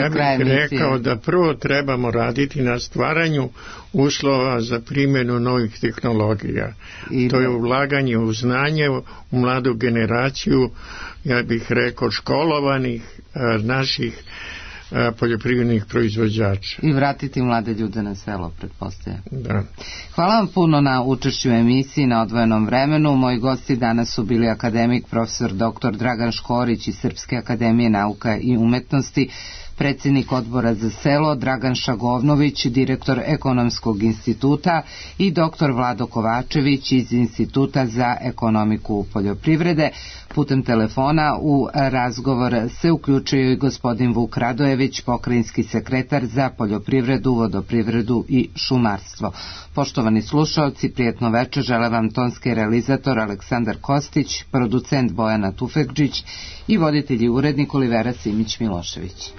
ja bih rekao da prvo trebamo raditi na stvaranju uslova za primjenu novih tehnologija. I to je ulaganje u znanje, u mladu generaciju, ja bih rekao školovanih a, naših a, poljoprivrednih proizvođača. I vratiti mlade ljude na selo, pretpostavljam. Da. Hvala vam puno na učešću u emisiji na odvojenom vremenu. Moji gosti danas su bili akademik profesor doktor Dragan Škorić iz Srpske akademije nauka i umetnosti, predsjednik odbora za selo Dragan Šagovnović, direktor Ekonomskog instituta, i doktor Vlado Kovačević iz Instituta za ekonomiku poljoprivrede. Putem telefona u razgovor se uključio i gospodin Vuk Radojević, pokrajinski sekretar za poljoprivredu, vodoprivredu i šumarstvo. Poštovani slušaoci, prijetno večer, žele vam tonski realizator Aleksandar Kostić, producent Bojana Tufekđić i voditelj i urednik Olivera Simić Milošević.